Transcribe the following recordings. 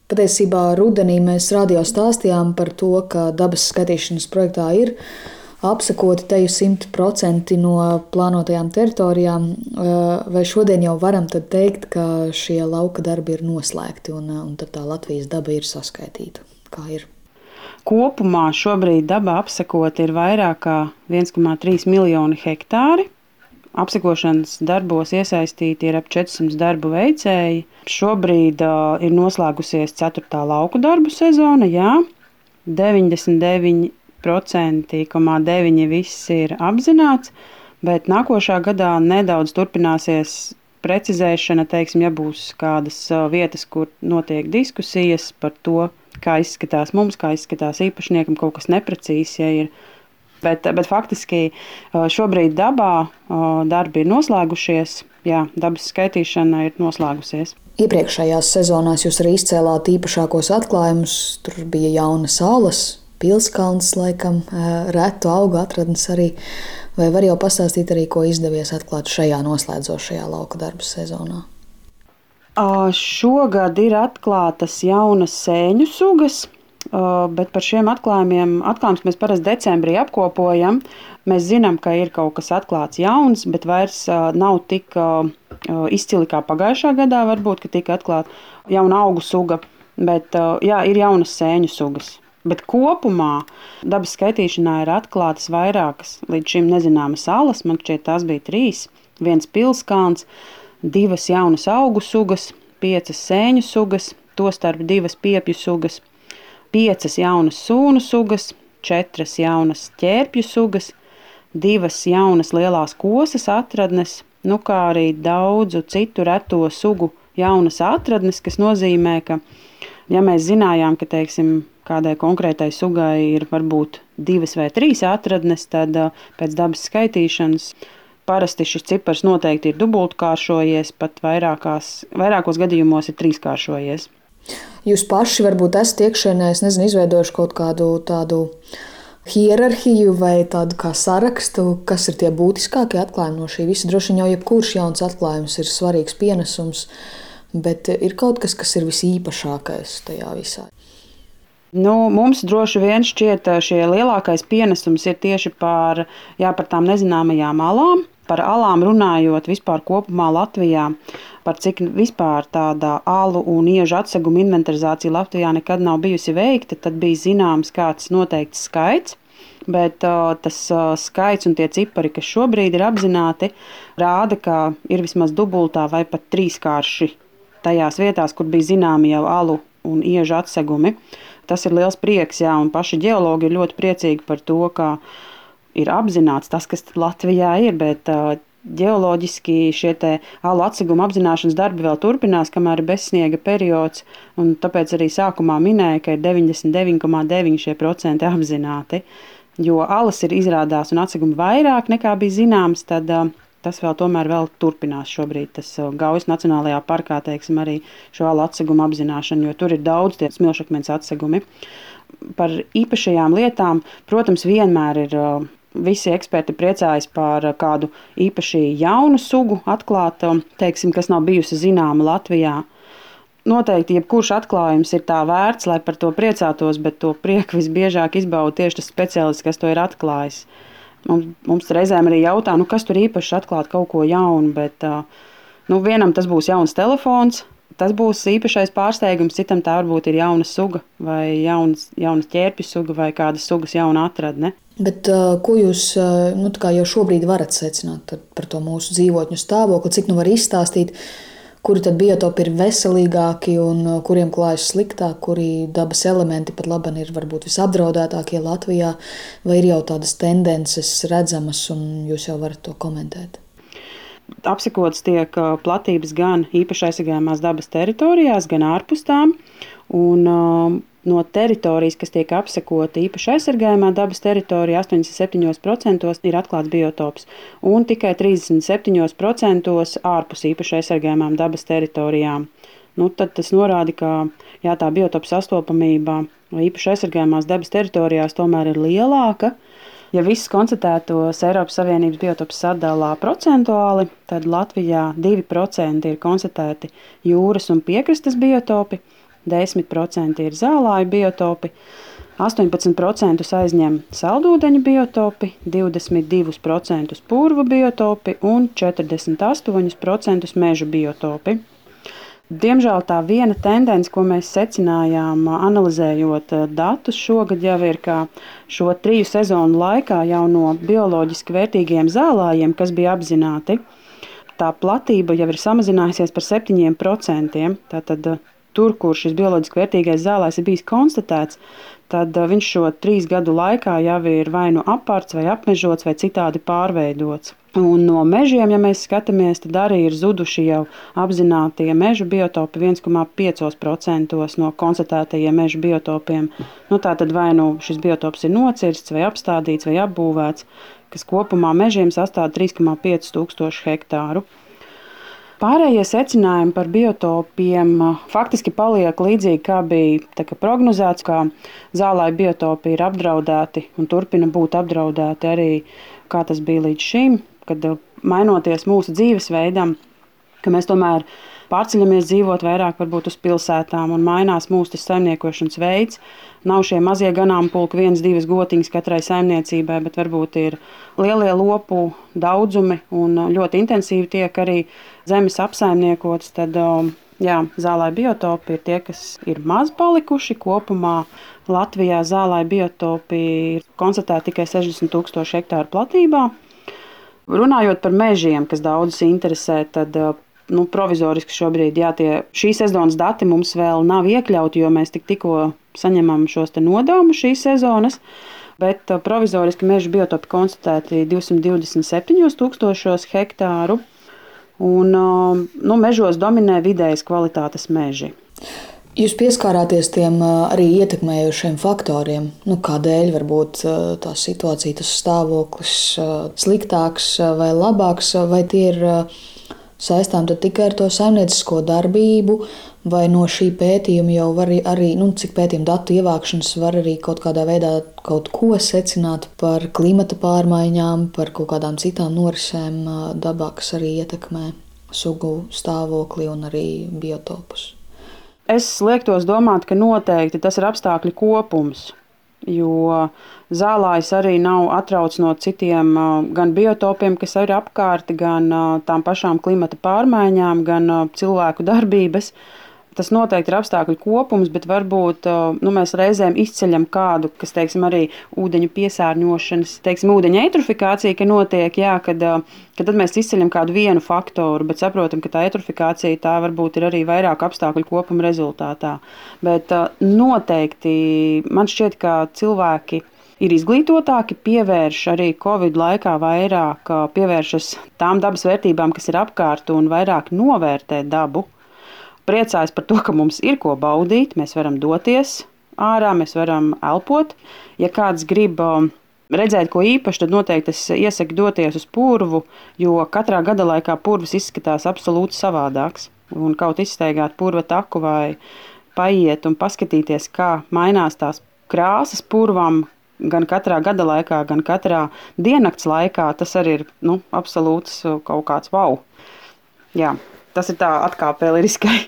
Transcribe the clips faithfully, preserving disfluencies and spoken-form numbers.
Patiesībā rudenī mēs radio stāstījām par to, ka dabas skaitīšanas projektā ir apsakoti teju simt procenti no plānotajām teritorijām. Vai šodien jau varam tad teikt, ka šie lauka darbi ir noslēgti un, un tad tā Latvijas daba ir saskaitīta? Kā ir? Kopumā šobrīd dabā apsakoti ir vairāk kā viens komats trīs miljoni hektāri. Apsakošanas darbos iesaistīti ir ap četrsimt darbu veicēji. Šobrīd uh, ir noslēgusies ceturtā lauku darbu sezona. Jā, deviņdesmit deviņi procenti deviņi viss ir apzināts, bet nākošā gadā nedaudz turpināsies precizēšana, teiksim, ja būs kādas uh, vietas, kur notiek diskusijas par to, kā izskatās mums, kā izskatās īpašniekam, kaut kas neprecīzs, ja ir. Bet, bet faktiski šobrīd dabā darbi ir noslēgušies, jā, dabas skaitīšana ir noslēgusies. Iepriekšējās sezonās jūs arī izcēlāt īpašākos atklājumus. Tur bija jaunas salas, pilskalns, laikam, retu augu atradnes arī. Vai var jau pastāstīt arī, ko izdevies atklāt šajā noslēdzošajā lauka darbu sezonā? Šogad ir atklātas jaunas sēņu sugas. Bet par šiem atklājumiem, atklājumus mēs parasti decembrī apkopojam. Mēs zinām, ka ir kaut kas atklāts jauns, bet vairs nav tik izcili kā pagājušā gadā. Varbūt, ka tika atklāta jauna augu suga, bet jā, ir jaunas sēņu sugas. Bet kopumā dabas skaitīšanā ir atklātas vairākas līdz šim nezināmas salas. Man šķiet, tās bija trīs. Viens pilskalns, divas jaunas augu sugas, piecas sēņu sugas, tostarp divas piepju sugas, piecas jaunas sūnu sugas, četras jaunas ķērpju sugas, divas jaunas lielās kosas atradnes, nu kā arī daudzu citu reto sugu jaunas atradnes, kas nozīmē, ka, ja mēs zinājām, ka, teiksim, kādai konkrētai sugai ir varbūt divas vai trīs atradnes, tad pēc dabas skaitīšanas parasti šis cipars noteikti ir dubultkāršojies, pat vairākās, vairākos gadījumos ir trīskāršojies. Jūs paši varbūt esat iekšēnē, es nezinu, izveidojuši kaut kādu tādu hierarhiju vai tādu kā sarakstu, kas ir tie būtiskākie atklājumi no šī visa. Droši vien jau jebkurš jauns atklājums ir svarīgs pienesums, bet ir kaut kas, kas ir visīpašākais tajā visā. Nu, mums droši vien šķiet šie lielākais pienesums ir tieši par, jā, par tām nezināmajām alām. Par alām runājot vispār kopumā Latvijā, par cik vispār tāda alu un iežu atseguma inventarizācija Latvijā nekad nav bijusi veikta, tad bija zināms kāds noteikts skaits, bet uh, tas uh, skaits un tie cipari, kas šobrīd ir apzināti, rāda, ka ir vismaz dubultā vai pat trīskārši tajās vietās, kur bija zināmi jau alu un iežu atsegumi. Tas ir liels prieks, jā, un paši ģeologi ir ļoti priecīgi par to, ka ir apzināts tas, kas Latvijā ir, bet uh, ģeoloģiski šie te alu atseguma apzināšanas darbi vēl turpinās, kamēr ir bezsniega periods, un tāpēc arī sākumā minēja, ka ir deviņdesmit deviņi komats deviņi procenti apzināti, jo alas ir izrādās un atsegumi vairāk nekā bija zināms, tad uh, tas vēl tomēr vēl turpinās šobrīd. Tas uh, Gaujas Nacionālajā parkā, teiksim, arī šo alu atsegumu apzināšanu, jo tur ir daudz tie smilšakmens atsegumi. Par īpašajām lietām, protams, vienmēr ir uh, visi eksperti priecājas par kādu īpaši jaunu sugu atklātu, teiksim, kas nav bijusi zināma Latvijā. Noteikti jebkurš atklājums ir tā vērts, lai par to priecātos, bet to prieku visbiežāk izbauda tieši tas speciālists, kas to ir atklājis. Mums, mums reizēm arī jautā, nu, kas tur īpaši atklāt kaut ko jaunu, bet nu, vienam tas būs jauns telefons, tas būs īpašais pārsteigums, citam tā varbūt ir jauna suga vai jaunas, jaunas ķērpju suga vai kādas sugas jauna atradne. Bet ko jūs nu, jau šobrīd varat secināt par to mūsu dzīvotņu stāvokli, cik nu var izstāstīt, kuri tad biotopi ir veselīgāki un kuriem klājas sliktāk, kuri dabas elementi pat labi ir varbūt visapdraudētākie Latvijā, vai ir jau tādas tendences redzamas un jūs jau varat to komentēt? Apsakotas tiek platības gan īpaši aizsargājamās dabas teritorijās, gan ārpus tām, un uh, no teritorijas, kas tiek apsakota īpaši aizsargājamā dabas teritorija, astoņdesmit septiņi procenti ir atklāts biotops, un tikai trīsdesmit septiņi procenti ārpus īpaši aizsargājamām dabas teritorijām. Nu, tad tas norāda, ka jā, tā biotopa sastopamība īpaši aizsargājamās dabas teritorijās tomēr ir lielāka. Ja visus konstatētos Eiropas Savienības biotopus sadalā procentuāli, tad Latvijā divi procenti ir konstatēti jūras un piekrastes biotopi, desmit procenti ir zālāju biotopi, astoņpadsmit procenti aizņem saldūdeņu biotopi, divdesmit divi procenti purvu biotopi un četrdesmit astoņi procenti meža biotopi. Diemžēl tā viena tendence, ko mēs secinājām, analizējot datus šogad, jau ir, ka šo triju sezonu laikā jau no bioloģiski vērtīgiem zālājiem, kas bija apzināti, tā platība jau ir samazinājusies par septiņiem procentiem. Tātad tur, kur šis bioloģiski vērtīgais zālājs ir bijis konstatēts, tad viņš šo trīs gadu laikā jau ir vai nu apārts, vai apmežots, vai citādi pārveidots. Un no mežiem, ja mēs skatāmies, tad arī ir zuduši jau apzinātie meža biotopi viens komats pieci procenti no konstatētajiem meža biotopiem. Nu, tā tad vai nu šis biotops ir nocirsts, vai apstādīts, vai apbūvēts, kas kopumā mežiem sastāv trīs komats pieci tūkstoši hektāru. Pārējie secinājumi par biotopiem faktiski paliek līdzīgi, kā bija prognozēts, ka zālāju biotopi ir apdraudēti un turpina būt apdraudēti arī, kā tas bija līdz šim, kad mainoties mūsu dzīvesveidam, ka mēs tomēr pārceļamies dzīvot vairāk varbūt uz pilsētām un mainās mūsu tas saimniekošanas veids. Nav šie mazie ganāmpulki, viens, divas gotiņas katrai saimniecībai, bet varbūt ir lielie lopu daudzumi un ļoti intensīvi tiek arī zemes apsaimniekotas. Tad jā, zālāju biotopi ir tie, kas ir maz palikuši. Kopumā Latvijā zālāju biotopi ir konstatēti tikai sešdesmit tūkstoši hektāru platībā. Runājot par mežiem, kas daudzus interesē, tad nu, provizoriski šobrīd jā, tie, šī sezonas dati mums vēl nav iekļauti, jo mēs tik tikko saņemam šos te nodevumus šīs sezonas, bet provizoriski meža biotopi konstatēti divsimt divdesmit septiņi tūkstošos hektāru, un nu, mežos dominē vidējas kvalitātes meži. Jūs pieskārāties tiem arī ietekmējošiem faktoriem. Nu, kādēļ varbūt tā situācija, tas stāvoklis sliktāks vai labāks, vai tie ir saistām tikai ar to saimniecisko darbību, vai no šī pētījuma jau var arī, nu, cik pētījuma datu ievākšanas var arī kaut kādā veidā kaut ko secināt par klimata pārmaiņām, par kaut kādām citām norisēm dabā, kas arī ietekmē sugu stāvokli un arī biotopus. Es liektos domāt, ka noteikti tas ir apstākļu kopums, jo zālājs arī nav atrauts no citiem gan biotopiem, kas ir apkārt, gan tām pašām klimata pārmaiņām, gan cilvēku darbības. Tas noteikti ir apstākļu kopums, bet varbūt nu, mēs reizēm izceļam kādu, kas, teiksim, arī ūdeņu piesārņošanas, teiksim, ūdeņa eitrofikācija, ka notiek, jā, kad, kad tad mēs izceļam kādu vienu faktoru, bet saprotam, ka tā eitrofikācija tā varbūt ir arī vairāk apstākļu kopuma rezultātā. Bet noteikti man šķiet, ka cilvēki ir izglītotāki, pievērš arī Covid laikā vairāk, pievēršas tām dabas vērtībām, kas ir apkārt un vairāk novērtē dabu. Priecājas par to, ka mums ir ko baudīt, mēs varam doties ārā, mēs varam elpot. Ja kāds grib redzēt ko īpaši, tad noteikti es iesaku doties uz purvu, jo katrā gada laikā purvs izskatās absolūti savādāks. Un kaut izstaigāt purva taku vai paiet un paskatīties, kā mainās tās krāsas purvam, gan katrā gada laikā, gan katrā diennakts laikā, tas arī ir nu, absolūts kaut kāds wow. Jā. Tas ir tā atkāpē liriskai.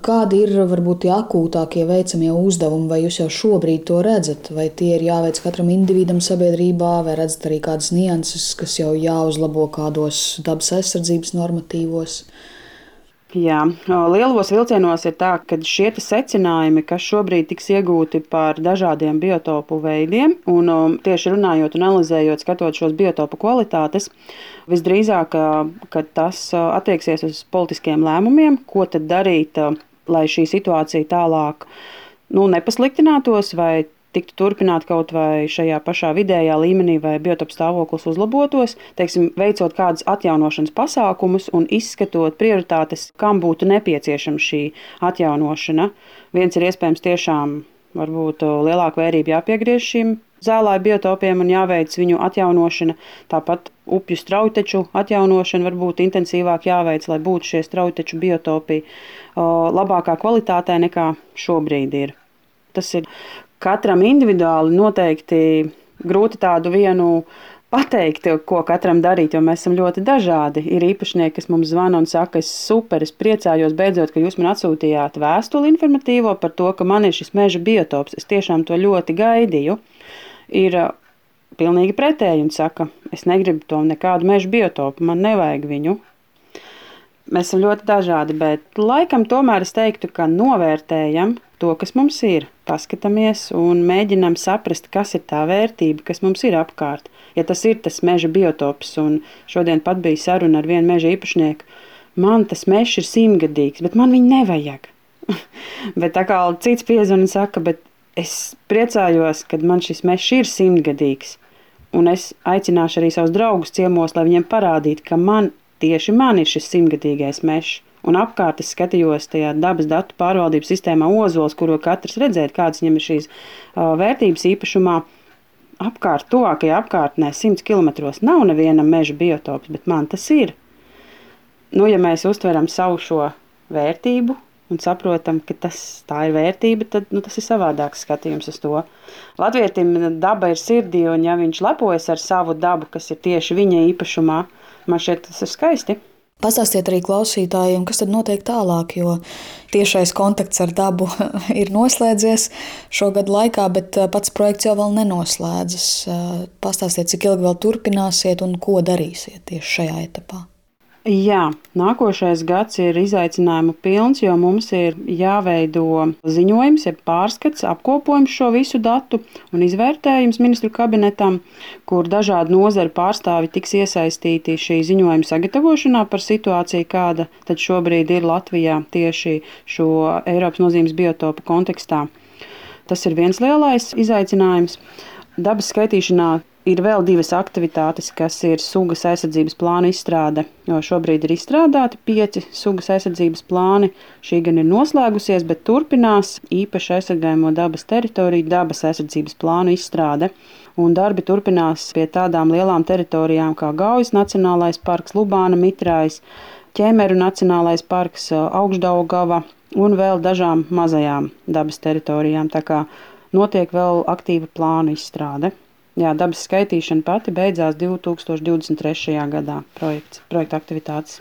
Kādi ir varbūt tie akūtākie veicamie uzdevumi, vai jūs jau šobrīd to redzat? Vai tie ir jāveic katram individam sabiedrībā, vai redzat arī kādas nianses, kas jau jāuzlabo kādos dabas aizsardzības normatīvos? Jā, lielos vilcienos ir tā, ka šie secinājumi, kas šobrīd tiks iegūti par dažādiem biotopu veidiem, un tieši runājot un analizējot, skatot šos biotopu kvalitātes, visdrīzāk, ka tas attieksies uz politiskiem lēmumiem, ko tad darīt, lai šī situācija tālāk nu, nepasliktinātos vai tiktu turpināt kaut vai šajā pašā vidējā līmenī vai biotopu stāvoklis uzlabotos, teiksim, veicot kādus atjaunošanas pasākumus un izskatot prioritātes, kam būtu nepieciešama šī atjaunošana. Viens ir iespējams tiešām varbūt lielāka vērība jāpiegriež šīm zālāju biotopiem un jāveic viņu atjaunošana. Tāpat upju straujteču atjaunošana varbūt intensīvāk jāveic, lai būtu šie straujteču biotopi labākā kvalitātē nekā šobrīd ir. Tas ir katram individuāli noteikti grūti tādu vienu pateikt, ko katram darīt, jo mēs esam ļoti dažādi. Ir īpašnieki, kas mums zvana un saka, es super, es priecājos beidzot, ka jūs man atsūtījāt vēstuli informatīvo par to, ka man ir šis meža biotops. Es tiešām to ļoti gaidīju. Ir pilnīgi pretēji un saka, es negribu to nekādu meža biotopu, man nevajag viņu. Mēs esam ļoti dažādi, bet laikam tomēr es teiktu, ka novērtējam to, kas mums ir. Paskatāmies un mēģinām saprast, kas ir tā vērtība, kas mums ir apkārt. Ja tas ir tas meža biotops, un šodien pat bija saruna ar vienu meža īpašnieku, man tas mežs ir simtgadīgs, bet man viņu nevajag. Bet tā kā cits piezvan un saka, bet es priecājos, kad man šis mežs ir simtgadīgs, un es aicināšu arī savus draugus ciemos, lai viņiem parādītu, ka man tieši man ir šis simtgadīgais mežs. Un apkārt es skatījos tajā dabas datu pārvaldības sistēmā Ozols, kuro katrs redzēt, kādas viņam ir šīs uh, vērtības īpašumā. Apkārt, tuvākajā apkārtnē, simts kilometros nav nevienam meža biotops, bet man tas ir. Nu, ja mēs uztveram savu šo vērtību un saprotam, ka tas, tā ir vērtība, tad nu, tas ir savādāks skatījums uz to. Latvietim daba ir sirdī, un ja viņš lepojas ar savu dabu, kas ir tieši viņa īpašumā, man šķiet, tas ir skaisti. Pastāstiet arī klausītājiem, kas tad notiek tālāk, jo tiešais kontakts ar dabu ir noslēdzies šogad laikā, bet pats projekts jau vēl nenoslēdzas. Pastāstiet, cik ilgi vēl turpināsiet un ko darīsiet tieši šajā etapā. Jā, nākošais gads ir izaicinājumu pilns, jo mums ir jāveido ziņojums, ja pārskats, apkopojums šo visu datu un izvērtējums ministru kabinetam, kur dažādu nozaru pārstāvi tiks iesaistīti šī ziņojuma sagatavošanā par situāciju, kāda tad šobrīd ir Latvijā tieši šo Eiropas nozīmes biotopu kontekstā. Tas ir viens lielais izaicinājums. Dabas skaitīšanā ir vēl divas aktivitātes, kas ir sugas aizsardzības plāna izstrāde, jo šobrīd ir izstrādāti pieci sugas aizsardzības plāni. Šī gan ir noslēgusies, bet turpinās īpaši aizsargājamo dabas teritoriju dabas aizsardzības plānu izstrāde. Un darbi turpinās pie tādām lielām teritorijām kā Gaujas Nacionālais parks, Lubāna Mitrājs, Ķemeru Nacionālais parks, Augšdaugava un vēl dažām mazajām dabas teritorijām. Tā kā notiek vēl aktīva plānu izstrāde. Jā, dabas skaitīšana pati beidzās divi tūkstoši divdesmit trešajā gadā projekts, projekta aktivitātes.